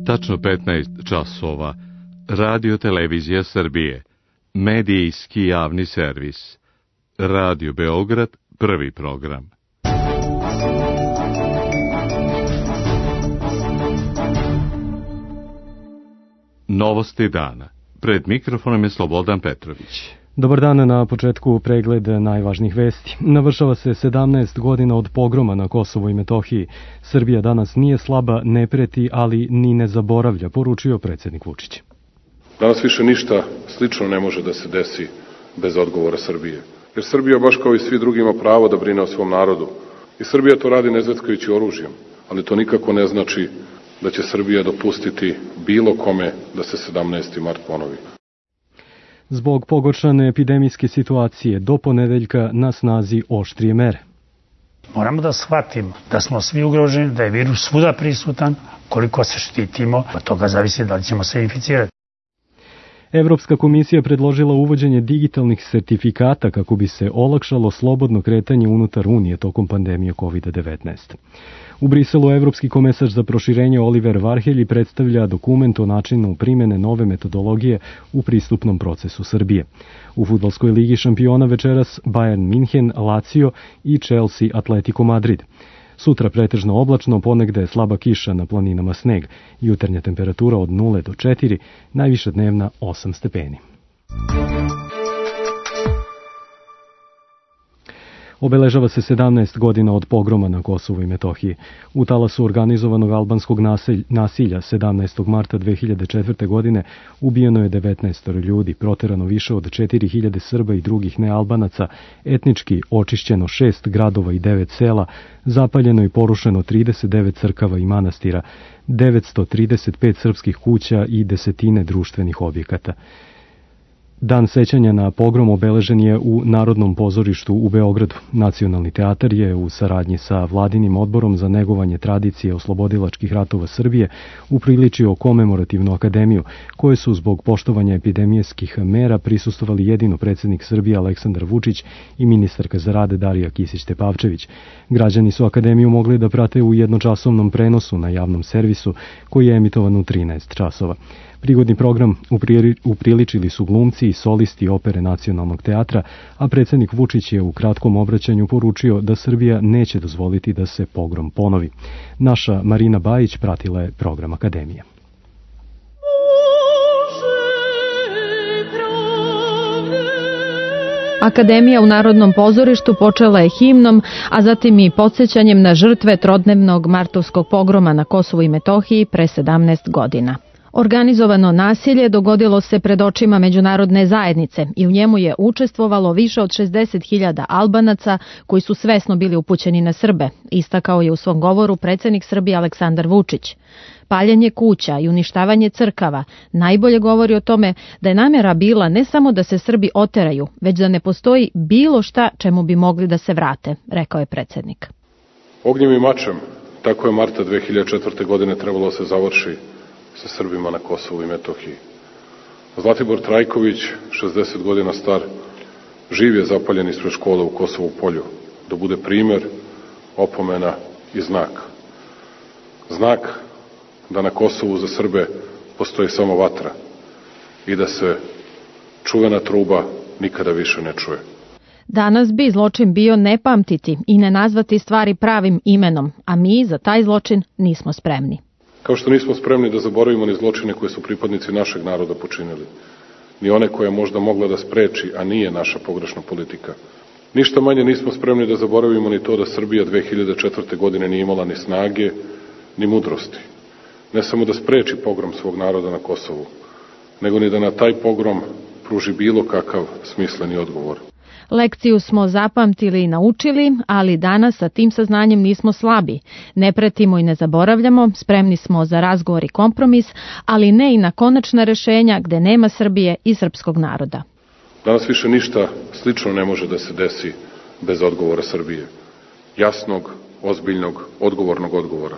Tačno 15 časova. Radio Televizija Srbije. Medijski javni servis. Radio Beograd, prvi program. Novosti dana. Pred mikrofonom je Slobodan Petrović. Dobar dan, na početku pregled najvažnijih vesti. Navršava se 17 godina od pogroma na Kosovu i Metohiji. Srbija danas nije slaba, ne preti, ali ni ne zaboravlja, poručio predsjednik Vučić. Danas više ništa slično ne može da se desi bez odgovora Srbije. Jer Srbija, baš kao i svi drugi, ima pravo da brine o svom narodu. I Srbija to radi ne zvetkajući oružjem, ali to nikako ne znači da će Srbija dopustiti bilo kome da se 17. mart ponovi. Zbog pogoršane epidemijske situacije do ponedeljka na snazi oštrije mere. Moramo da shvatimo da smo svi ugroženi, da je virus svuda prisutan, koliko se štitimo, od toga zavisi da li ćemo se inficirati. Evropska komisija predložila uvođenje digitalnih sertifikata kako bi se olakšalo slobodno kretanje unutar Unije tokom pandemije COVID-19. U Briselu Evropski komesar za proširenje Oliver Varhelji predstavlja dokument o načinu primjene nove metodologije u pristupnom procesu Srbije. U fudbalskoj ligi šampiona večeras Bayern Minhen, Lazio i Chelsea Atletico Madrid. Sutra pretežno oblačno, ponegde slaba kiša, na planinama sneg. Jutarnja temperatura od 0 do 4, najviša dnevna 8 stepeni. Obeležava se 17 godina od pogroma na Kosovu i Metohiji. U talasu organizovanog albanskog nasilja 17. marta 2004. godine ubijeno je 19 ljudi, proterano više od 4000 Srba i drugih nealbanaca, etnički očišćeno 6 gradova i 9 sela, zapaljeno i porušeno 39 crkava i manastira, 935 srpskih kuća i desetine društvenih objekata. Dan sećanja na pogrom obeležen je u Narodnom pozorištu u Beogradu. Nacionalni teatar je u saradnji sa Vladinim odborom za negovanje tradicije oslobodilačkih ratova Srbije upriličio komemorativnu akademiju, koje su zbog poštovanja epidemijskih mera prisustvovali jedino predsjednik Srbije Aleksandar Vučić i ministarka za rad Darija Kisić-Tepavčević. Građani su akademiju mogli da prate u jednočasovnom prenosu na javnom servisu koji je emitovan u 13 časova. Prigodni program upriličili su glumci i solisti opere Nacionalnog teatra, a predsjednik Vučić je u kratkom obraćanju poručio da Srbija neće dozvoliti da se pogrom ponovi. Naša Marina Bajić pratila je program akademije. Akademija u Narodnom pozorištu počela je himnom, a zatim i podsjećanjem na žrtve trodnevnog martovskog pogroma na Kosovu i Metohiji pre 17 godina. Organizovano nasilje dogodilo se pred očima međunarodne zajednice i u njemu je učestvovalo više od 60.000 Albanaca koji su svesno bili upućeni na Srbe, istakao je u svom govoru predsjednik Srbije Aleksandar Vučić. Paljenje kuća i uništavanje crkava najbolje govori o tome da je namjera bila ne samo da se Srbi oteraju, već da ne postoji bilo šta čemu bi mogli da se vrate, rekao je predsjednik. Ognjem i mačem, tako je marta 2004. godine trebalo se završi sa Srbima na Kosovu i Metohiji. Zlatibor Trajković, 60 godina star, živ je zapaljen ispred škole u Kosovu Polju, da bude primjer, opomena i znak. Znak da na Kosovu za Srbe postoji samo vatra i da se čuvena truba nikada više ne čuje. Danas bi zločin bio ne pamtiti i ne nazvati stvari pravim imenom, a mi za taj zločin nismo spremni. Kao što nismo spremni da zaboravimo ni zločine koje su pripadnici našeg naroda počinili, ni one koje je možda mogla da spreči, a nije naša pogrešna politika. Ništa manje nismo spremni da zaboravimo ni to da Srbija 2004. godine nije imala ni snage, ni mudrosti. Ne samo da spreči pogrom svog naroda na Kosovu, nego ni da na taj pogrom pruži bilo kakav smisleni odgovor. Lekciju smo zapamtili i naučili, ali danas sa tim saznanjem nismo slabi. Ne pretimo i ne zaboravljamo, spremni smo za razgovor i kompromis, ali ne i na konačna rešenja gde nema Srbije i srpskog naroda. Danas više ništa slično ne može da se desi bez odgovora Srbije. Jasnog, ozbiljnog, odgovornog odgovora.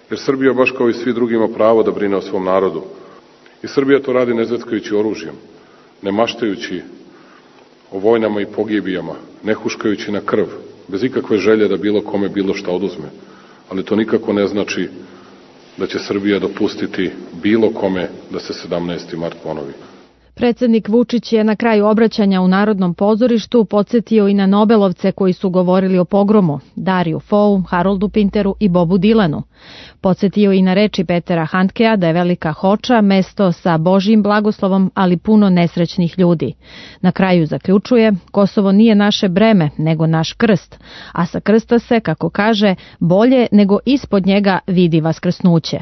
Jer Srbija, baš kao i svi drugi, ima pravo da brine o svom narodu. I Srbija to radi ne zvetkajući oružjem, ne maštajući o vojnama i pogibijama, ne huškajući na krv, bez ikakve želje da bilo kome bilo šta oduzme. Ali to nikako ne znači da će Srbija dopustiti bilo kome da se 17. mart ponovi. Predsednik Vučić je na kraju obraćanja u Narodnom pozorištu podsjetio i na Nobelovce koji su govorili o pogromu, Dariju Fou, Haroldu Pinteru i Bobu Dilanu. Podsjetio i na reči Petera Handkea da je Velika Hoča mesto sa Božjim blagoslovom, ali puno nesrećnih ljudi. Na kraju zaključuje, Kosovo nije naše breme, nego naš krst, a sa krsta se, kako kaže, bolje nego ispod njega vidi vaskrsnuće.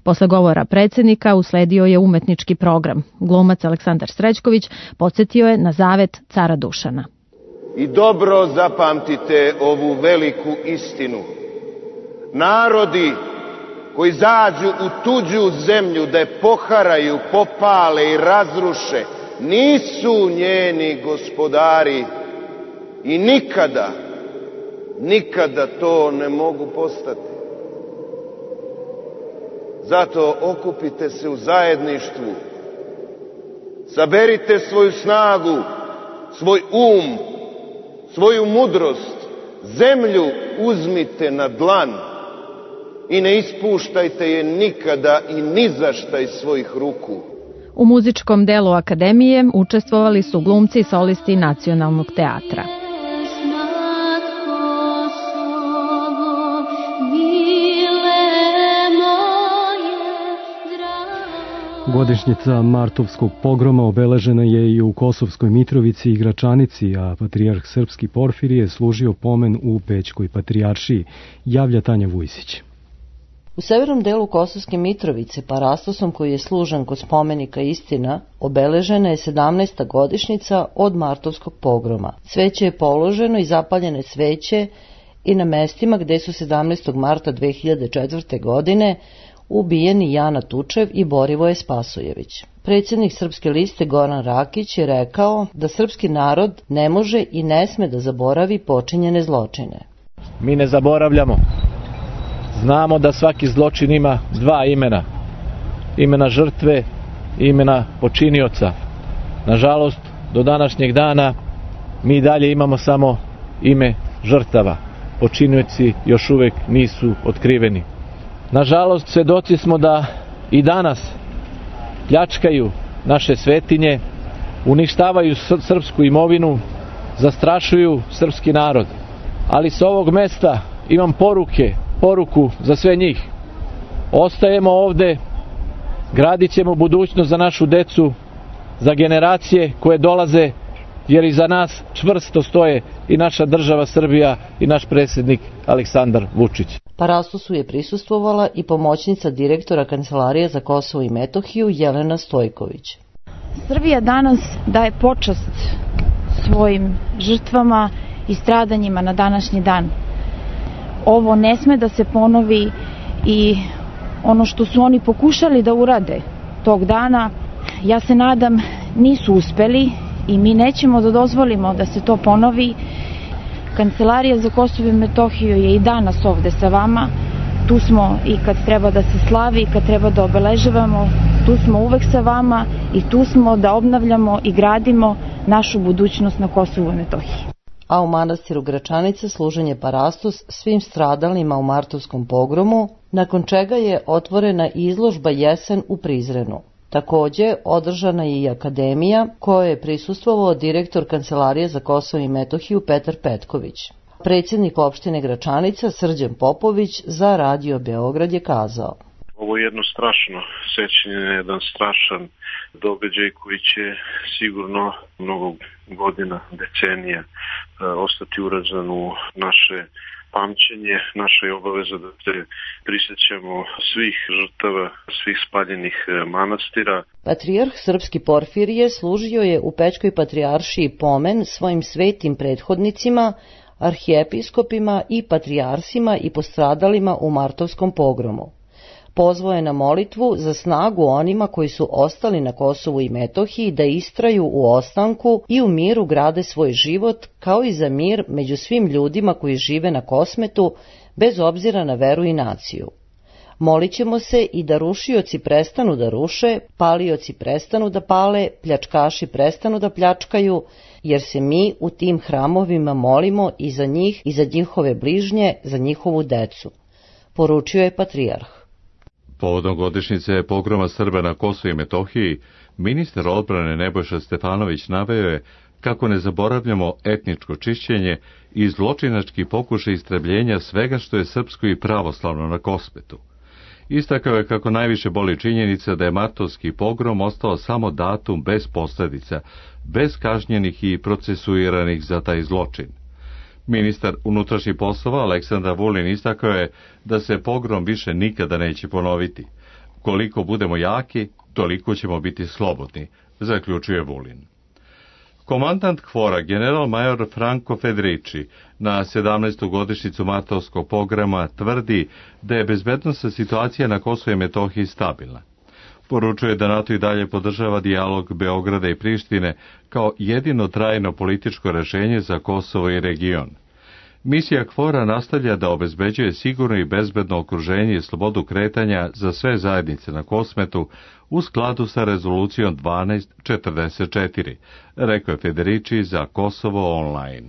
Posle govora predsednika usledio je umetnički program. Glumac Aleksandar Srećković podsjetio je na zavet cara Dušana. I dobro zapamtite ovu veliku istinu. Narodi koji zađu u tuđu zemlju da je poharaju, popale i razruše, nisu njeni gospodari i nikada to ne mogu postati. Zato okupite se u zajedništvu, saberite svoju snagu, svoj um, svoju mudrost, zemlju uzmite na dlan i ne ispuštajte je nikada i ni za šta iz svojih ruku. U muzičkom delu akademije učestvovali su glumci i solisti Nacionalnog teatra. Godišnjica martovskog pogroma obeležena je i u Kosovskoj Mitrovici i Gračanici, a patrijarh srpski Porfirije služio pomen u Pećkoj patrijaršiji, javlja Tanja Vujsić. U severnom delu Kosovske Mitrovice, parastosom koji je služen kod spomenika Istina, obeležena je 17. godišnjica od martovskog pogroma. Cveće je položeno i zapaljene sveće i na mestima gde su 17. marta 2004. godine ubijeni Jana Tučev i Borivoje Spasojević. Predsjednik Srpske liste Goran Rakić je rekao da srpski narod ne može i ne sme da zaboravi počinjene zločine. Mi ne zaboravljamo. Znamo da svaki zločin ima dva imena. Imena žrtve i imena počinioca. Nažalost, do današnjeg dana mi dalje imamo samo ime žrtava. Počinioci još uvek nisu otkriveni. Nažalost, svedoci smo da i danas pljačkaju naše svetinje, uništavaju srpsku imovinu, zastrašuju srpski narod. Ali sa ovog mesta imam poruku za sve njih. Ostajemo ovde, gradit ćemo budućnost za našu decu, za generacije koje dolaze, jer iza nas čvrsto stoje i naša država Srbija i naš predsjednik Aleksandar Vučić. Parastosu je prisustvovala i pomoćnica direktora Kancelarije za Kosovo i Metohiju Jelena Stojković. Srbija danas daje počast svojim žrtvama i stradanjima na današnji dan. Ovo ne sme da se ponovi i ono što su oni pokušali da urade tog dana, ja se nadam, nisu uspeli i mi nećemo da dozvolimo da se to ponovi. Kancelarija za Kosovo i Metohiju je i danas ovde sa vama. Tu smo i kad treba da se slavi, kad treba da obeležavamo, tu smo uvek sa vama i tu smo da obnavljamo i gradimo našu budućnost na Kosovu i Metohiji. A u manastiru Gračanica služen je parastos svim stradalima u martovskom pogromu, nakon čega je otvorena izložba Jesen u Prizrenu. Takođe, održana je i akademija kojoj je prisustvovao direktor Kancelarije za Kosovo i Metohiju Petar Petković. Predsjednik opštine Gračanica Srđan Popović za Radio Beograd je kazao: Ovo je jedno strašno sećanje, jedan strašan događaj koji će sigurno mnogo godina, decenija ostati urađen u naše pamćenje. Naša je obaveza da se prisjećamo svih žrtava, svih spaljenih manastira. Patrijarh srpski Porfirije služio je u Pećkoj patrijaršiji pomen svojim svetim prethodnicima, arhijepiskopima i patrijarsima i postradalima u martovskom pogromu. Pozvao je na molitvu za snagu onima koji su ostali na Kosovu i Metohiji da istraju u ostanku i u miru grade svoj život, kao i za mir među svim ljudima koji žive na Kosmetu, bez obzira na veru i naciju. Molit ćemo se i da rušioci prestanu da ruše, palioci prestanu da pale, pljačkaši prestanu da pljačkaju, jer se mi u tim hramovima molimo i za njih i za njihove bližnje, za njihovu decu, poručio je patrijarh. Povodom godišnjice pogroma Srba na Kosovu i Metohiji, ministar odbrane Nebojša Stefanović naveo je kako ne zaboravljamo etničko čišćenje i zločinački pokušaj istrebljenja svega što je srpsko i pravoslavno na Kosmetu. Istakao je kako najviše boli činjenica da je martovski pogrom ostao samo datum bez posljedica, bez kažnjenih i procesuiranih za taj zločin. Ministar unutrašnjih poslova Aleksandar Vulin istakao je da se pogrom više nikada neće ponoviti. Koliko budemo jaki, toliko ćemo biti slobodni, zaključuje Vulin. Komandant KFOR-a, general major Franco Federici, na 17. godišnjicu martovskog pogroma tvrdi da je bezbednosna situacija na Kosovu i Metohiji stabilna. Poručuje da NATO i dalje podržava dijalog Beograda i Prištine kao jedino trajno političko rešenje za Kosovo i region. Misija KFOR-a nastavlja da obezbeđuje sigurno i bezbedno okruženje i slobodu kretanja za sve zajednice na Kosmetu u skladu sa rezolucijom 1244, rekao je Federici za Kosovo online.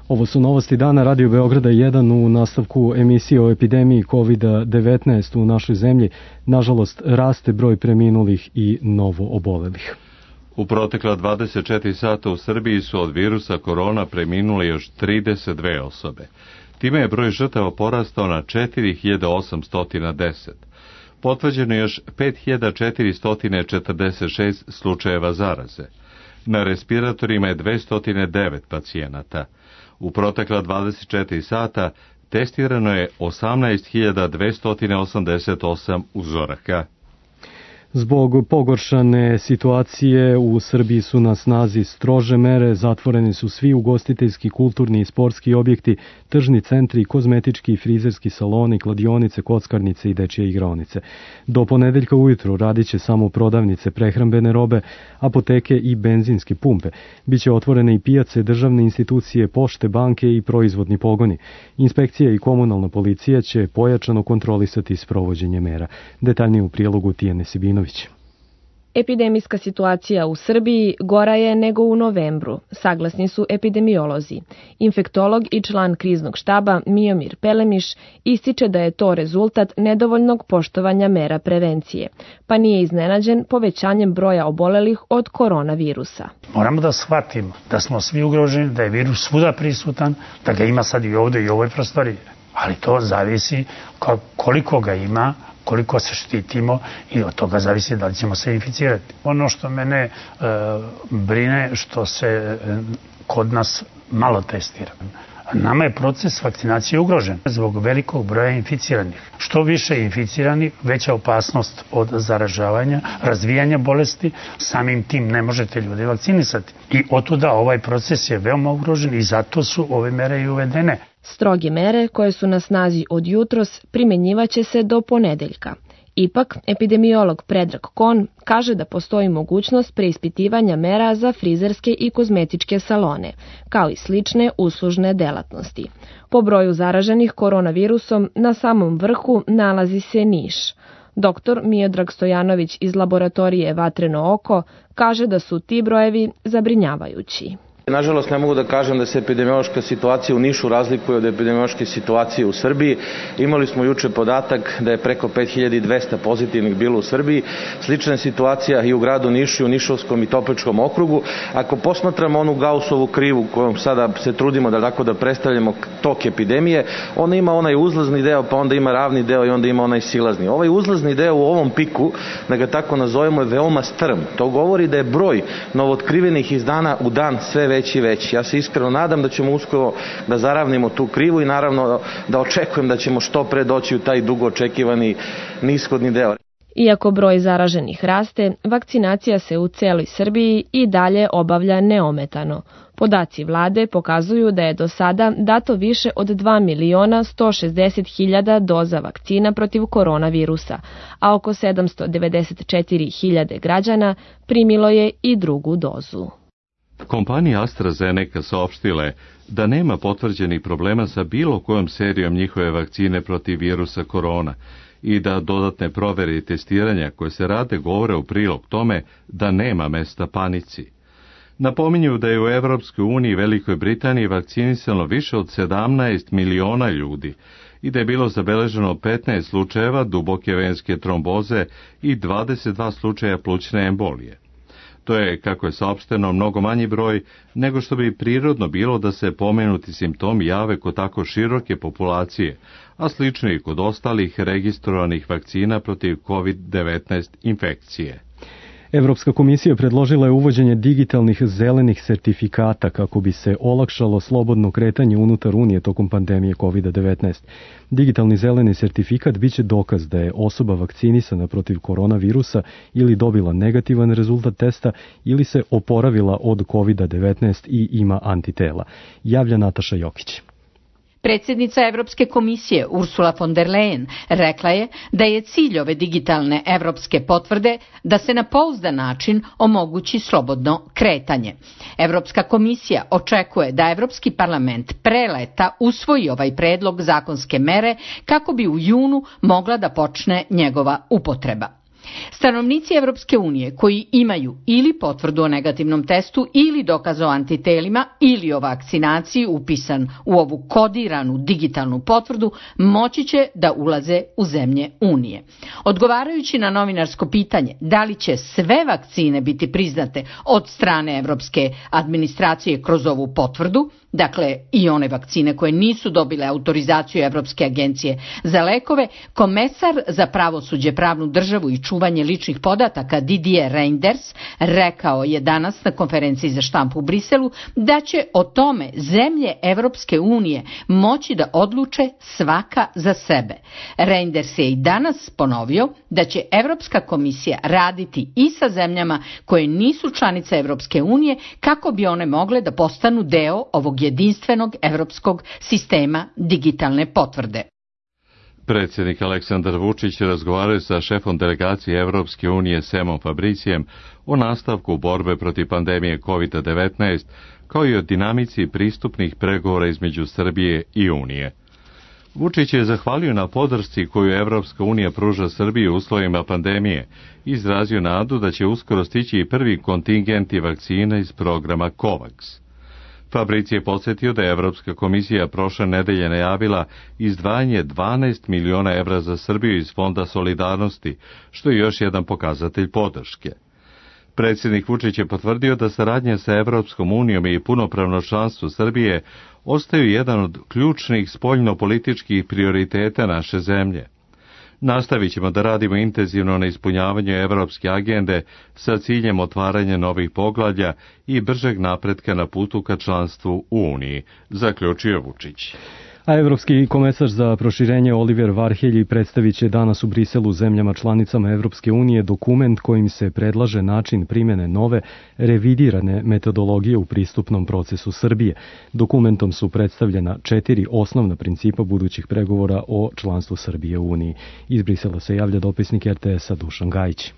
Ovo su novosti dana Radio Beograda 1 u nastavku emisije o epidemiji COVID-19 u našoj zemlji. Nažalost, raste broj preminulih i novo obolelih. U protekla 24 sata u Srbiji su od virusa korona preminule još 32 osobe. Time je broj žrtava porastao na 4810. Potvrđeno je još 5446 slučajeva zaraze. Na respiratorima je 209 pacijenata. U protekla 24 sata testirano je 18.288 uzoraka. Zbog pogoršane situacije u Srbiji su na snazi strože mere, zatvoreni su svi ugostiteljski, kulturni i sportski objekti, tržni centri, kozmetički i frizerski saloni, kladionice, kockarnice i dečje igraonice. Do ponedeljka ujutru radit će samo prodavnice prehrambene robe, apoteke i benzinske pumpe. Biće otvorene i pijace, državne institucije, pošte, banke i proizvodni pogoni. Inspekcija i komunalna policija će pojačano kontrolisati sprovođenje mera. Detaljnije u prilogu Tijane Sibinović. Epidemijska situacija u Srbiji gora je nego u novembru, saglasni su epidemiolozi. Infektolog i član kriznog štaba Miomir Pelemiš ističe da je to rezultat nedovoljnog poštovanja mera prevencije, pa nije iznenađen povećanjem broja obolelih od koronavirusa. Moramo da shvatimo da smo svi ugroženi, da je virus svuda prisutan, da ga ima sad i ovde i u ovoj prostoriji, ali to zavisi koliko ga ima, koliko se štitimo i od toga zavisi da li ćemo se inficirati. Ono što mene brine što se kod nas malo testira. Nama je proces vakcinacije ugrožen zbog velikog broja inficiranih. Što više inficirani, veća opasnost od zaražavanja, razvijanja bolesti, samim tim ne možete ljudi vakcinisati. I otuda ovaj proces je veoma ugrožen i zato su ove mere i uvedene. Stroge mere koje su na snazi od jutros primenjivaće se do ponedeljka. Ipak, epidemiolog Predrag Kon kaže da postoji mogućnost preispitivanja mera za frizerske i kozmetičke salone, kao i slične uslužne delatnosti. Po broju zaraženih koronavirusom na samom vrhu nalazi se Niš. Dr. Miodrag Stojanović iz laboratorije Vatreno oko kaže da su ti brojevi zabrinjavajući. Nažalost, ne mogu da kažem da se epidemiološka situacija u Nišu razlikuje od epidemiološke situacije u Srbiji. Imali smo juče podatak da je preko 5200 pozitivnih bilo u Srbiji. Slična situacija i u gradu Nišu, i u Nišavskom i Topličkom okrugu. Ako posmatramo onu Gaussovu krivu kojom sada se trudimo da predstavljamo tok epidemije, ona ima onaj uzlazni deo, pa onda ima ravni deo i onda ima onaj silazni. Ovaj uzlazni deo u ovom piku, da ga tako nazovemo, je veoma strm. To govori da je broj novootkrivenih iz dana u dan sve veći i veći. Ja se iskreno nadam da ćemo uskoro da zaravnimo tu krivu i naravno da očekujem da ćemo što pre doći u taj dugo očekivani nishodni deo. Iako broj zaraženih raste, vakcinacija se u celoj Srbiji i dalje obavlja neometano. Podaci vlade pokazuju da je do sada dato više od 2.160.000 doza vakcina protiv koronavirusa, a oko 794.000 građana primilo je i drugu dozu. Kompanija AstraZeneca saopštila je da nema potvrđenih problema sa bilo kojom serijom njihove vakcine protiv virusa korona i da dodatne provere i testiranja koje se rade govore u prilog tome da nema mesta panici. Napominju da je u Evropskoj uniji i Velikoj Britaniji vakcinisano više od 17 miliona ljudi i da je bilo zabeleženo 15 slučajeva duboke venske tromboze i 22 slučaja plućne embolije. To je, kako je saopšteno, mnogo manji broj nego što bi prirodno bilo da se pomenuti simptomi jave kod tako široke populacije, a slično i kod ostalih registrovanih vakcina protiv COVID-19 infekcije. Evropska komisija predložila je uvođenje digitalnih zelenih sertifikata kako bi se olakšalo slobodno kretanje unutar Unije tokom pandemije COVID-19. Digitalni zeleni sertifikat biće dokaz da je osoba vakcinisana protiv koronavirusa ili dobila negativan rezultat testa ili se oporavila od COVID-19 i ima antitela. Javlja Nataša Jokić. Predsjednica Evropske komisije Ursula von der Leyen rekla je da je cilj ove digitalne evropske potvrde da se na pouzdan način omogući slobodno kretanje. Evropska komisija očekuje da Evropski parlament pre leta usvoji ovaj predlog zakonske mere kako bi u junu mogla da počne njegova upotreba. Stanovnici Evropske unije koji imaju ili potvrdu o negativnom testu ili dokaz o antitelima ili o vakcinaciji upisan u ovu kodiranu digitalnu potvrdu moći će da ulaze u zemlje Unije. Odgovarajući na novinarsko pitanje da li će sve vakcine biti priznate od strane Evropske administracije kroz ovu potvrdu, dakle i one vakcine koje nisu dobile autorizaciju Evropske agencije za lekove, komesar za pravosuđe, pravnu državu i čuvanje ličnih podataka Didier Reynders rekao je danas na konferenciji za štampu u Briselu da će o tome zemlje Evropske unije moći da odluče svaka za sebe. Reynders je i danas ponovio da će Evropska komisija raditi i sa zemljama koje nisu članice Evropske unije kako bi one mogle da postanu deo ovog jedinstvenog evropskog sistema digitalne potvrde. Predsjednik Aleksandar Vučić razgovarao sa šefom delegacije Evropske unije Semom Fabricijem o nastavku borbe protiv pandemije COVID-19, kao i o dinamici pristupnih pregovora između Srbije i Unije. Vučić je zahvalio na podršci koju Evropska unija pruža Srbiji u uslovima pandemije i izrazio nadu da će uskoro stići i prvi kontingenti vakcina iz programa COVAX. Fabrici je podsjetio da je Evropska komisija prošle nedelje najavila izdvajanje 12 miliona evra za Srbiju iz Fonda solidarnosti, što je još jedan pokazatelj podrške. Predsjednik Vučić je potvrdio da saradnja sa Evropskom unijom i punopravno članstvo Srbije ostaju jedan od ključnih spoljnopolitičkih prioriteta naše zemlje. Nastavit ćemo da radimo intenzivno na ispunjavanju evropske agende sa ciljem otvaranja novih poglavlja i bržeg napretka na putu ka članstvu u Uniji, zaključio Vučić. A Evropski komesar za proširenje Oliver Varhelji predstavit će danas u Briselu zemljama članicama Evropske unije dokument kojim se predlaže način primjene nove, revidirane metodologije u pristupnom procesu Srbije. Dokumentom su predstavljena 4 osnovna principa budućih pregovora o članstvu Srbije u Uniji. Iz Brisela se javlja dopisnik RTS-a Dušan Gajić.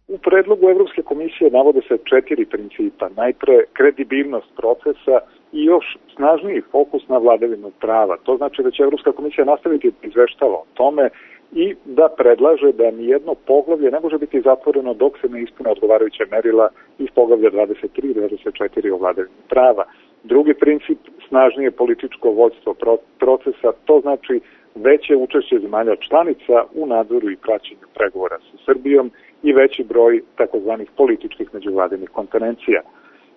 U predlogu Evropske komisije navode se 4 principa. Najpre kredibilnost procesa i još snažniji fokus na vladavinu prava. To znači da će Evropska komisija nastaviti da izveštava o tome i da predlaže da nijedno poglavlje ne može biti zatvoreno dok se ne ispune odgovarajuća merila iz poglavlja 23 i 24 o vladavini prava. Drugi princip, snažnije političko vođstvo procesa, to znači veće učešće zemalja članica u nadzoru i praćenju pregovora sa Srbijom i veći broj takozvanih političkih međuvladinih konferencija.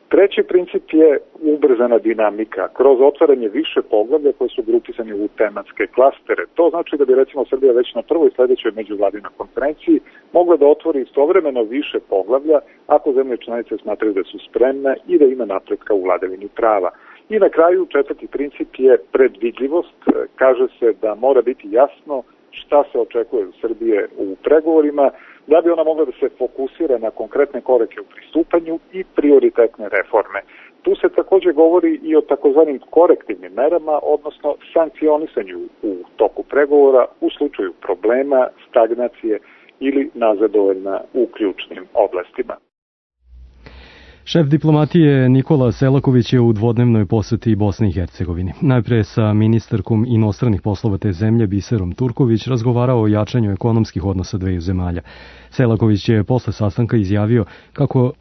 Treći princip je ubrzana dinamika kroz otvaranje više poglavlja koje su grupisani u tematske klastere. To znači da bi recimo Srbija već na prvoj sledećoj međuvladinoj konferenciji mogla da otvori istovremeno više poglavlja ako zemlje članice smatraju da su spremne i da ima napretka u vladavini prava. I na kraju četvrti princip je predvidljivost. Kaže se da mora biti jasno šta se očekuje od Srbije u pregovorima, da bi ona mogla da se fokusira na konkretne korake u pristupanju i prioritetne reforme. Tu se takođe govori i o takozvanim korektivnim merama, odnosno sankcionisanju u toku pregovora u slučaju problema, stagnacije ili nazadovanja u ključnim oblastima. Šef diplomatije Nikola Selaković je u dvodnevnoj poseti Bosni i Hercegovini. Najpre sa ministarkom inostranih poslova te zemlje Biserom Turković razgovarao o jačanju ekonomskih odnosa dveju zemalja. Selaković je posle sastanka izjavio kako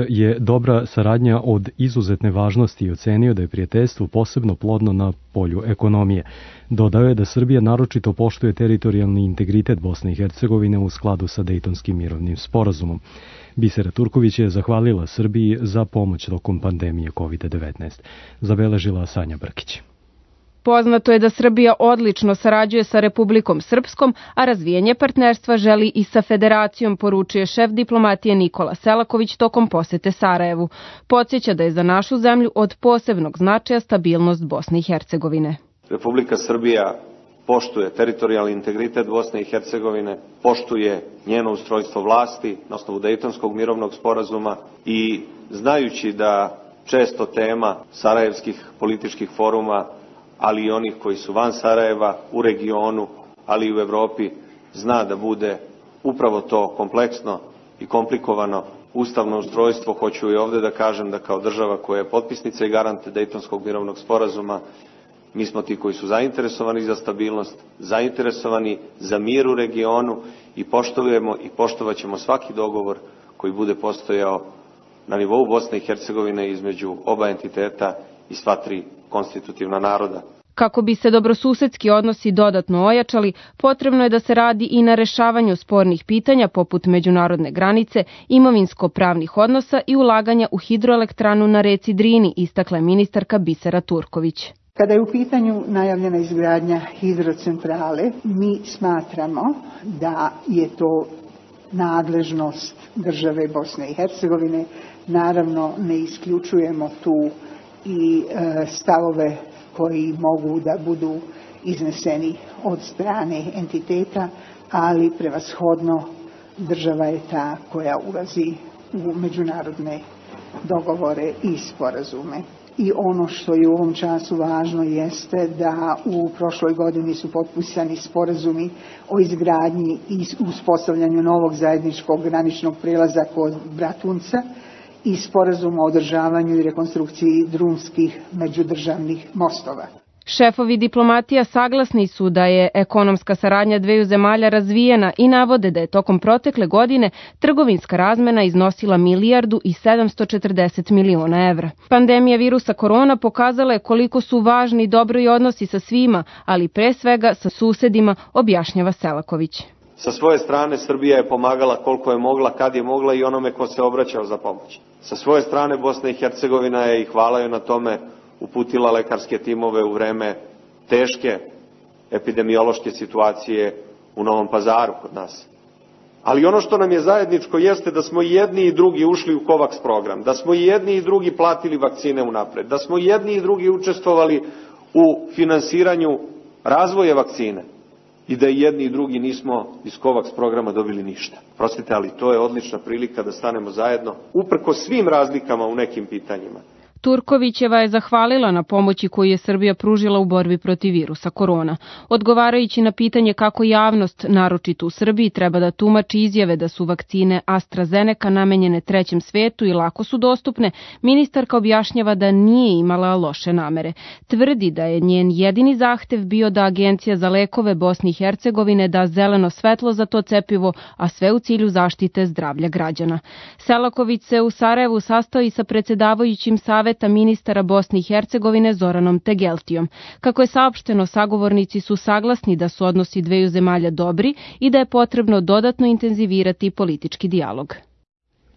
je dobra saradnja od izuzetne važnosti i ocenio da je prijateljstvo posebno plodno na polju ekonomije. Dodao je da Srbija naročito poštuje teritorijalni integritet Bosne i Hercegovine u skladu sa Dejtonskim mirovnim sporazumom. Bisera Turković je zahvalila Srbiji za pomoć tokom pandemije COVID-19. Zabeležila Sanja Brkić. Poznato je da Srbija odlično sarađuje sa Republikom Srpskom, a razvijanje partnerstva želi i sa Federacijom, poručuje šef diplomatije Nikola Selaković tokom posete Sarajevu. Podsjeća da je za našu zemlju od posebnog značaja stabilnost Bosne i Hercegovine. Republika Srbija poštuje teritorijalni integritet Bosne i Hercegovine, poštuje njeno ustrojstvo vlasti na osnovu Dejtonskog mirovnog sporazuma i znajući da često tema sarajevskih političkih foruma, ali i onih koji su van Sarajeva, u regionu, ali i u Evropi, zna da bude upravo to kompleksno i komplikovano ustavno ustrojstvo. Hoću i ovde da kažem da kao država koja je potpisnica i garante Dejtonskog mirovnog sporazuma, mi smo ti koji su zainteresovani za stabilnost, zainteresovani za mir u regionu i poštujemo i poštovaćemo svaki dogovor koji bude postojao na nivou Bosne i Hercegovine između oba entiteta i sva tri konstitutivna naroda. Kako bi se dobrosusedski odnosi dodatno ojačali, potrebno je da se radi i na rešavanju spornih pitanja poput međunarodne granice, imovinsko-pravnih odnosa i ulaganja u hidroelektranu na reci Drini, istakla je ministarka Bisera Turković. Kada je u pitanju najavljena izgradnja hidrocentrale, mi smatramo da je to nadležnost države Bosne i Hercegovine. Naravno, ne isključujemo tu i stavove koji mogu da budu izneseni od strane entiteta, ali prevashodno država je ta koja ulazi u međunarodne dogovore i sporazume. I ono što je u ovom času važno jeste da u prošloj godini su potpisani sporazumi o izgradnji i uspostavljanju novog zajedničkog graničnog prelaza kod Bratunca i sporazum o održavanju i rekonstrukciji drumskih međudržavnih mostova. Šefovi diplomatija saglasni su da je ekonomska saradnja dveju zemalja razvijena i navode da je tokom protekle godine trgovinska razmena iznosila 1.740 miliona evra. Pandemija virusa korona pokazala je koliko su važni dobri odnosi sa svima, ali pre svega sa susedima, objašnjava Selaković. Sa svoje strane Srbija je pomagala koliko je mogla, kad je mogla i onome ko se obraćao za pomoć. Sa svoje strane Bosna i Hercegovina je, i hvala joj na tome, uputila lekarske timove u vreme teške epidemiološke situacije u Novom Pazaru kod nas. Ali ono što nam je zajedničko jeste da smo jedni i drugi ušli u COVAX program, da smo jedni i drugi platili vakcine unapred, da smo jedni i drugi učestvovali u finansiranju razvoja vakcine i da jedni i drugi nismo iz COVAX programa dobili ništa. Prostite, ali to je odlična prilika da stanemo zajedno, uprkos svim razlikama u nekim pitanjima. Turkovićeva je zahvalila na pomoći koju je Srbija pružila u borbi protiv virusa korona. Odgovarajući na pitanje kako javnost, naročito u Srbiji, treba da tumači izjave da su vakcine AstraZeneca namenjene trećem svetu i lako su dostupne, ministarka objašnjava da nije imala loše namere. Tvrdi da je njen jedini zahtev bio da Agencija za lekove Bosne i Hercegovine da zeleno svetlo za to cepivo, a sve u cilju zaštite zdravlja građana. Selaković se u Sarajevu sastao i sa predsjedavajućim Saveta ministara Bosne i Hercegovine Zoranom Tegeltijom. Kako je saopšteno, sagovornici su saglasni da su odnosi dveju zemalja dobri i da je potrebno dodatno intenzivirati politički dijalog.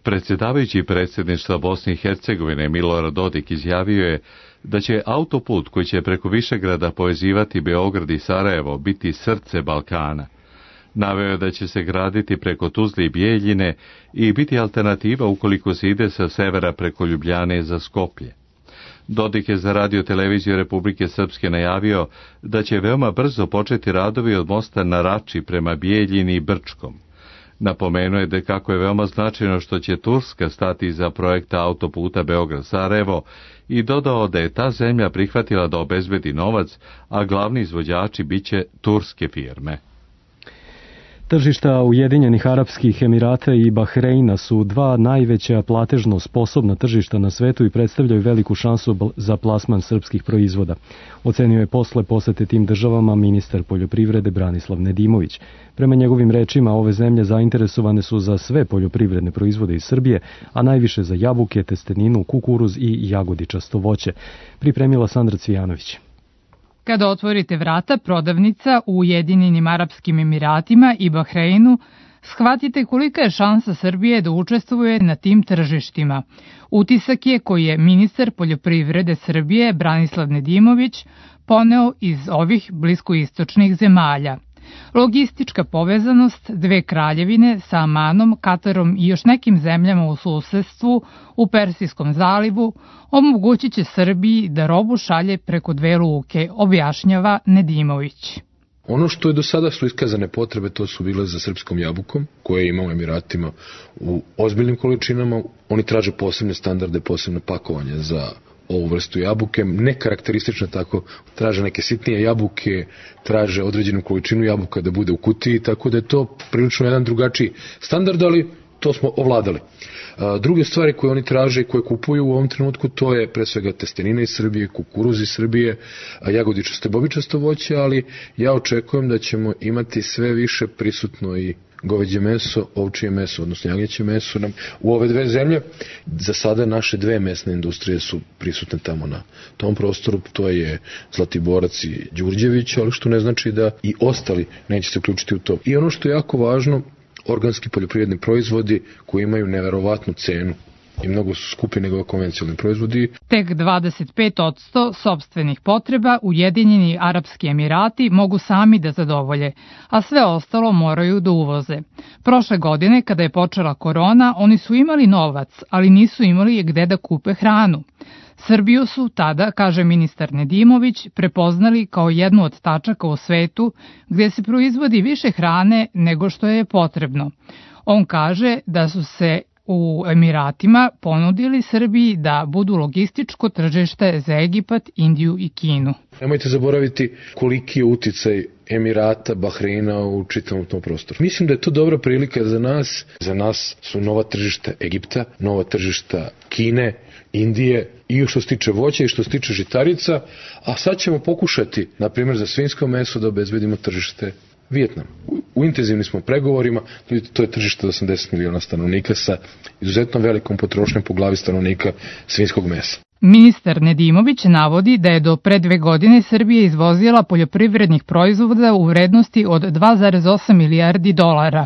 Predsjedavajući predsjedništva Bosne i Hercegovine Milorad Dodik izjavio je da će autoput koji će preko Višegrada povezivati Beograd i Sarajevo biti srce Balkana. Naveo je da će se graditi preko Tuzle i Bijeljine i biti alternativa ukoliko se ide sa severa preko Ljubljane za Skoplje. Dodik je za Radio televiziju Republike Srpske najavio da će veoma brzo početi radovi od mosta na Rači prema Bijeljini i Brčkom. Napomenuo je da kako je veoma značajno što će Turska stati iza projekta autoputa Beograd-Sarajevo i dodao da je ta zemlja prihvatila da obezbedi novac, a glavni izvođači biće turske firme. Tržišta Ujedinjenih Arapskih Emirata i Bahreina su dva najveća platežno sposobna tržišta na svetu i predstavljaju veliku šansu za plasman srpskih proizvoda. Ocenio je posle posete tim državama ministar poljoprivrede Branislav Nedimović. Prema njegovim rečima, ove zemlje zainteresovane su za sve poljoprivredne proizvode iz Srbije, a najviše za jabuke, testeninu, kukuruz i jagodičasto voće. Pripremila Sandra Cvijanović. Kada otvorite vrata prodavnica u Ujedinjenim Arapskim Emiratima i Bahreinu, shvatite kolika je šansa Srbije da učestvuje na tim tržištima. Utisak je koji je ministar poljoprivrede Srbije Branislav Nedimović poneo iz ovih bliskoistočnih zemalja. Logistička povezanost dve kraljevine sa Amanom, Katarom i još nekim zemljama u susedstvu u Persijskom zalivu omogućit će Srbiji da robu šalje preko dve luke, objašnjava Nedimović. Ono što je do sada su iskazane potrebe, to su bile za srpskom jabukom, koje imamo u Emiratima u ozbiljnim količinama. Oni traže posebne standarde, posebne pakovanje za ovu vrstu jabuke, ne karakteristično tako, traže neke sitnije jabuke, traže određenu količinu jabuka da bude u kutiji, tako da je to prilično jedan drugačiji standard, ali to smo ovladali. Druge stvari koje oni traže i koje kupuju u ovom trenutku, to je pre svega testenina iz Srbije, kukuruz iz Srbije, jagodičasto i bobičasto voće, ali ja očekujem da ćemo imati sve više prisutno i goveđe meso, ovčije meso, odnosno jagnjeće meso nam u ove dve zemlje. Za sada naše dve mesne industrije su prisutne tamo na tom prostoru, to je Zlatiborac i Đurđević, ali što ne znači da i ostali neće se uključiti u to. I ono što je jako važno, organski poljoprivredni proizvodi koji imaju neverovatnu cenu i mnogo su skupi nego konvencionalni proizvodi. Tek 25% sopstvenih potreba Ujedinjeni Arapski Emirati mogu sami da zadovolje, a sve ostalo moraju da uvoze. Prošle godine, kada je počela korona, oni su imali novac, ali nisu imali gde da kupe hranu. Srbiju su tada, kaže ministar Nedimović, prepoznali kao jednu od tačaka u svetu gde se proizvodi više hrane nego što je potrebno. On kaže da su se u Emiratima ponudili Srbiji da budu logističko tržište za Egipat, Indiju i Kinu. Nemojte zaboraviti koliki je uticaj Emirata, Bahreina u čitavom tom prostoru. Mislim da je to dobra prilika za nas. Za nas su nova tržišta Egipta, nova tržišta Kine, Indije i što se tiče voća i što se tiče žitarica, a sad ćemo pokušati, na primjer za svinjsko meso, da obezbedimo tržište Vijetnam. U intenzivnim smo pregovorima, to je tržište od 80 miliona stanovnika sa izuzetno velikom potrošnjom po glavi stanovnika svinjskog mesa. Ministar Nedimović navodi da je do pre 2 godine Srbija izvozila poljoprivrednih proizvoda u vrednosti od 2,8 milijardi dolara,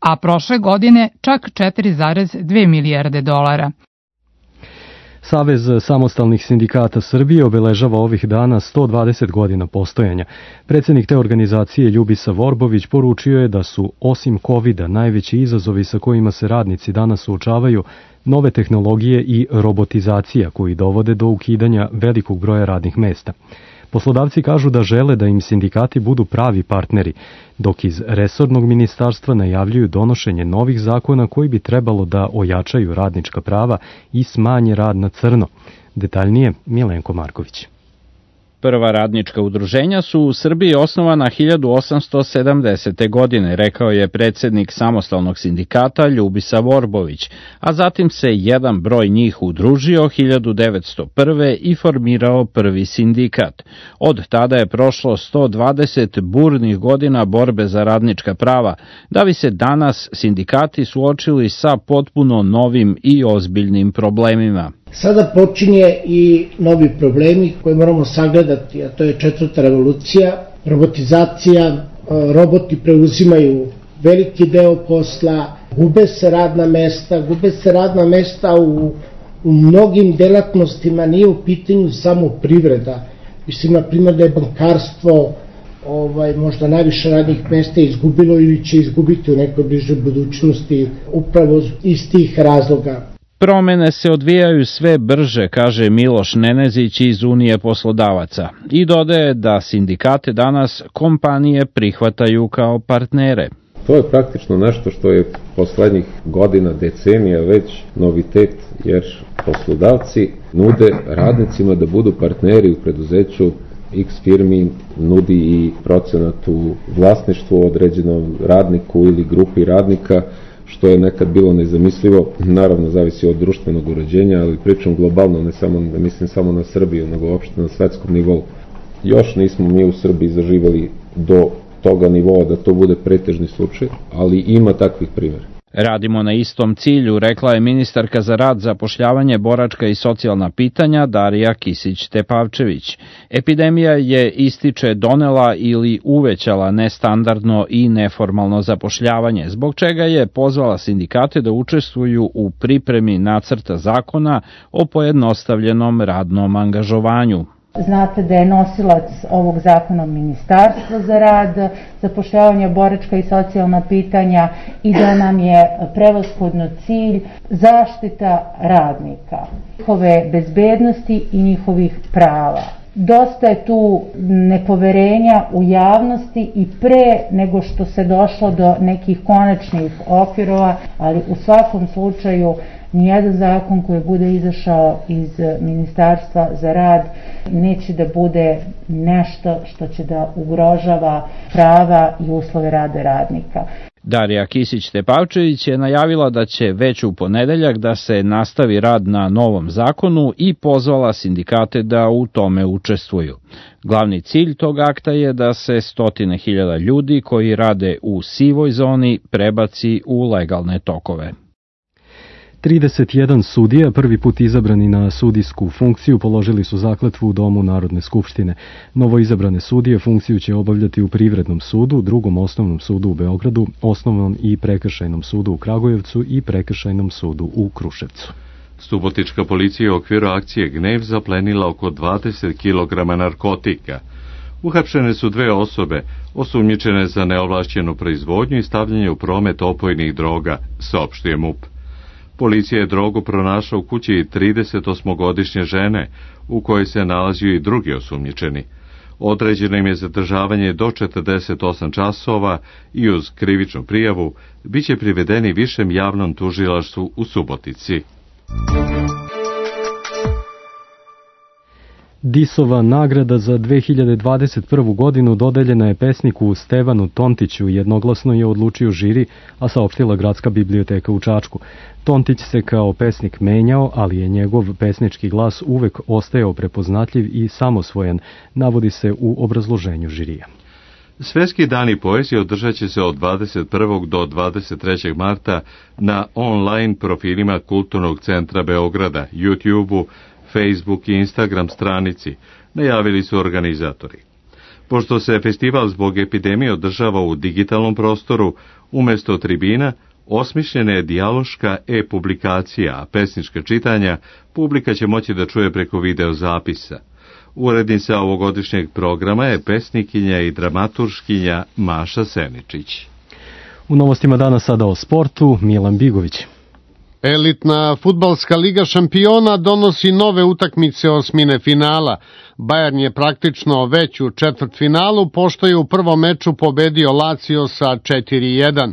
a prošle godine čak 4,2 milijarde dolara. Savez samostalnih sindikata Srbije obeležava ovih dana 120 godina postojanja. Predsjednik te organizacije Ljubisa Vorbović poručio je da su osim COVID-a najveći izazovi sa kojima se radnici danas suočavaju nove tehnologije i robotizacija koji dovode do ukidanja velikog broja radnih mesta. Poslodavci kažu da žele da im sindikati budu pravi partneri, dok iz resornog ministarstva najavljuju donošenje novih zakona koji bi trebalo da ojačaju radnička prava i smanje rad na crno. Detaljnije Milenko Marković. Prva radnička udruženja su u Srbiji osnovana 1870. godine, rekao je predsjednik samostalnog sindikata Ljubisa Vorbović, a zatim se jedan broj njih udružio 1901. i formirao prvi sindikat. Od tada je prošlo 120 burnih godina borbe za radnička prava, da bi se danas sindikati suočili sa potpuno novim i ozbiljnim problemima. Sada počinje i novi problemi koje moramo sagledati, a to je 4. revolucija, robotizacija, roboti preuzimaju veliki deo posla, gube se radna mesta u mnogim delatnostima, nije u pitanju samo privreda. Mislim, na primjer, da je bankarstvo možda najviše radnih mesta izgubilo ili će izgubiti u nekoj bližoj budućnosti upravo iz tih razloga. Promene se odvijaju sve brže, kaže Miloš Nenezić iz Unije poslodavaca i dodaje da sindikate danas kompanije prihvataju kao partnere. To je praktično nešto što je poslednjih godina, decenija već novitet, jer poslodavci nude radnicima da budu partneri u preduzeću X firmi nudi i procenat u vlasništvu određenom radniku ili grupi radnika, što je nekad bilo nezamislivo. Naravno, zavisi od društvenog uređenja, ali pričam globalno, ne mislim samo na Srbiju, nego uopšte na svetskom nivou. Još nismo mi u Srbiji zaživeli do toga nivoa da to bude pretežni slučaj, ali ima takvih primjera. Radimo na istom cilju, rekla je ministarka za rad, zapošljavanje, boračka i socijalna pitanja Darija Kisić-Tepavčević. Epidemija je, ističe, donela ili uvećala nestandardno i neformalno zapošljavanje, zbog čega je pozvala sindikate da učestvuju u pripremi nacrta zakona o pojednostavljenom radnom angažovanju. Znate da je nosilac ovog zakona Ministarstvo za rad, zapošljavanje, boračka i socijalna pitanja i da nam je prevashodno cilj zaštita radnika, njihove bezbednosti i njihovih prava. Dosta je tu nepoverenja u javnosti i pre nego što se došlo do nekih konačnih okvirova, ali u svakom slučaju nijedan zakon koji bude izašao iz Ministarstva za rad neće da bude nešto što će da ugrožava prava i uslove rada radnika. Darija Kisić-Tepavčević je najavila da će već u ponedeljak da se nastavi rad na novom zakonu i pozvala sindikate da u tome učestvuju. Glavni cilj tog akta je da se 100.000 ljudi koji rade u sivoj zoni prebaci u legalne tokove. 31 sudija, prvi put izabrani na sudijsku funkciju, položili su zakletvu u Domu Narodne skupštine. Novoizabrane sudije funkciju će obavljati u Privrednom sudu, Drugom osnovnom sudu u Beogradu, Osnovnom i Prekršajnom sudu u Kragujevcu i Prekršajnom sudu u Kruševcu. Subotička policija u okviru akcije Gnev zaplenila oko 20 kg narkotika. Uhapšene su 2 osobe, osumnjičene za neovlašćenu proizvodnju i stavljanje u promet opojnih droga, saopštio MUP. Policija je drogu pronašla u kući 38-godišnje žene, u kojoj se nalazio i drugi osumnjičeni. Određeno im je zadržavanje do 48 časova i uz krivičnu prijavu biće privedeni višem javnom tužilaštvu u Subotici. Disova nagrada za 2021. godinu dodeljena je pesniku Stevanu Tontiću, jednoglasno je odlučio žiri, a saopštila Gradska biblioteka u Čačku. Tontić se kao pesnik menjao, ali je njegov pesnički glas uvek ostajao prepoznatljiv i samosvojan, navodi se u obrazloženju žirija. Svetski dani poezije održat će se od 21. do 23. marta na online profilima Kulturnog centra Beograda, YouTube-u, Facebook i Instagram stranici, najavili su organizatori. Pošto se festival zbog epidemije održava u digitalnom prostoru, umjesto tribina, osmišljena je dijaloška e-publikacija, a pesnička čitanja publika će moći da čuje preko video zapisa. Urednica ovogodišnjeg programa je pesnikinja i dramaturškinja Maša Seničić. U novostima dana sada o sportu, Milan Bigović. Elitna fudbalska liga šampiona donosi nove utakmice osmine finala. Bayern je praktično već u četvrtfinalu, pošto je u prvom meču pobedio Lazio sa 4-1.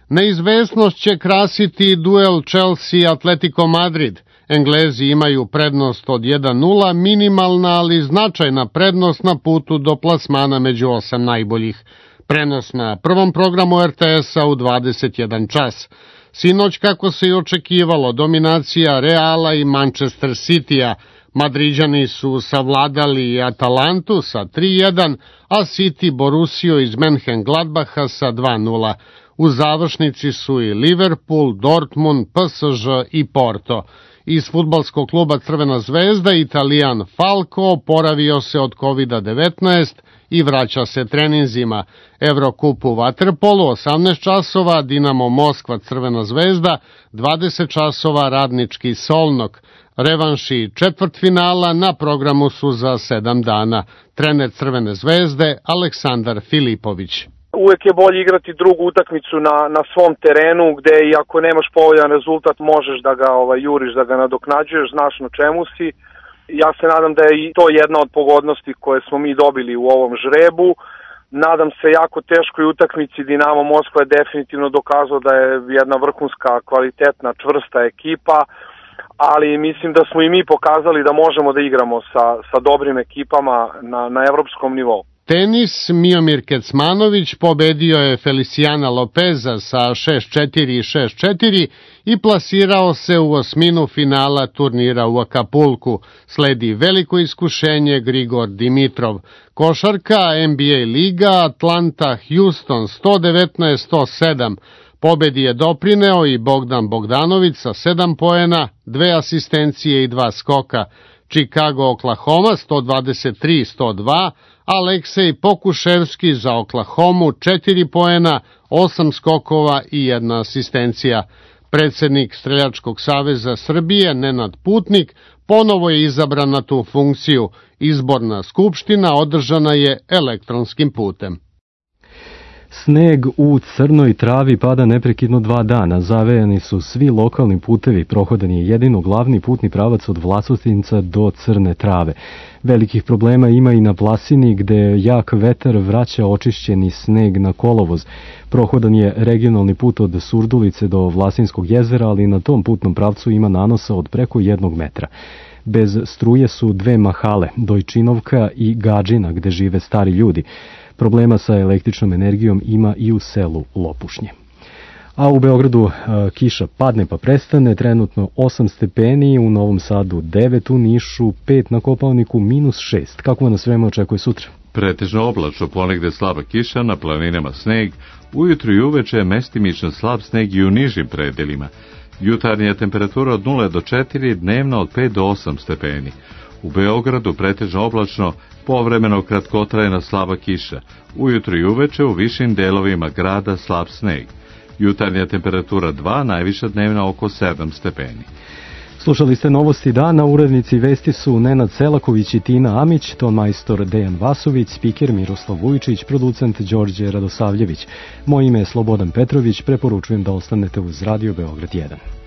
Neizvesnost će krasiti duel Chelsea-Atletico Madrid. Englezi imaju prednost od 1-0, minimalna ali značajna prednost na putu do plasmana među 8 najboljih. Prenos na prvom programu RTS-a u 21 čas. Sinoć, kako se i očekivalo, dominacija Reala i Manchester City-a. Madriđani su savladali Atalantu sa 3-1, a City Borussiju iz Mönchengladbacha sa 2-0. U završnici su i Liverpool, Dortmund, PSG i Porto. Iz fudbalskog kluba Crvena zvezda Italijan Falco oporavio se od COVID-19 i vraća se treninzima. Evrokup u vaterpolu 18 časova, Dinamo Moskva Crvena zvezda, 20 časova Radnički Solnok. Revanši četvrtfinala na programu su za 7 dana. Trener Crvene zvezde Aleksandar Filipović. Uvek je bolje igrati drugu utakmicu na svom terenu, gde i ako nemaš povoljan rezultat možeš da ga juriš, da ga nadoknađuješ, znaš na čemu si. Ja se nadam da je i to jedna od pogodnosti koje smo mi dobili u ovom žrebu. Nadam se jako teškoj utakmici. Dinamo Moskva je definitivno dokazao da je jedna vrhunska, kvalitetna, čvrsta ekipa, ali mislim da smo i mi pokazali da možemo da igramo sa dobrim ekipama na evropskom nivou. Tenis, Miomir Kecmanović pobedio je Feliciana Lopeza sa 6-4 i 6-4 i plasirao se u osminu finala turnira u Akapulku. Sledi veliko iskušenje Grigor Dimitrov. Košarka, NBA liga, Atlanta, Houston 119-107. Pobedi je doprineo i Bogdan Bogdanović sa 7 poena, 2 asistencije i 2 skoka. Chicago, Oklahoma 123-102, Aleksej Pokuševski za Oklahomu 4 poena, 8 skokova i 1 asistencija. Predsednik Streljačkog saveza Srbije, Nenad Putnik, ponovo je izabran na tu funkciju. Izborna skupština održana je elektronskim putem. Sneg u Crnoj Travi pada neprekidno 2 dana. Zavejani su svi lokalni putevi. Prohodan je jedino glavni putni pravac od Vlasotinca do Crne Trave. Velikih problema ima i na Plasini, gde jak vetar vraća očišćeni sneg na kolovoz. Prohodan je regionalni put od Surdulice do Vlasinskog jezera, ali na tom putnom pravcu ima nanosa od preko 1 metra. Bez struje su 2 mahale, Dojčinovka i Gadžina, gde žive stari ljudi. Problema sa električnom energijom ima i u selu Lopušnje. A u Beogradu kiša padne pa prestane, trenutno 8 stepeni, u Novom Sadu 9, u Nišu 5, na Kopaoniku -6. Kako nas vreme očekuje sutra? Pretežno oblačno, ponegde slaba kiša, na planinama sneg, ujutru i uveče mestimično slab sneg i u nižim predelima. Jutarnja temperatura od 0 do 4, dnevna od 5 do 8 stepeni. U Beogradu pretežno oblačno, povremeno kratkotrajna slaba kiša. Ujutru i uveče u višim delovima grada slab sneg. Jutarnja temperatura 2, najviša dnevna oko 7 stepeni. Slušali ste novosti dana, urednici vesti su Nenad Selaković i Tina Amić, ton majstor Dejan Vasović, spiker Miroslav Vujičić, producent Đorđe Radosavljević. Moje ime je Slobodan Petrović, preporučujem da ostanete uz Radio Beograd 1.